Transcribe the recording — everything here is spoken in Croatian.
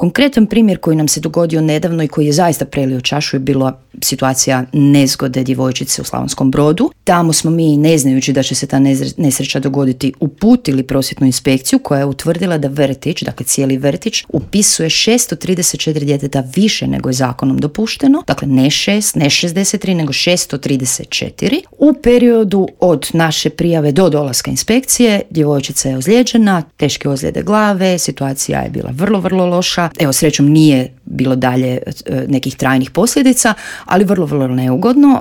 Konkretan primjer koji nam se dogodio nedavno i koji je zaista prelio čašu je bila situacija nezgode djevojčice u Slavonskom Brodu. Tamo smo mi, ne znajući da će se ta nesreća dogoditi, uputili prosvjetnu inspekciju koja je utvrdila da vrtić, dakle cijeli vrtić, upisuje 634 djeteta više nego je zakonom dopušteno. Dakle, ne 6, ne 63, nego 634. U periodu od naše prijave do dolaska inspekcije djevojčica je ozlijeđena, teške ozljede glave, situacija je bila vrlo, vrlo loša. Evo, srećom nije bilo dalje nekih trajnih posljedica, ali vrlo, vrlo neugodno.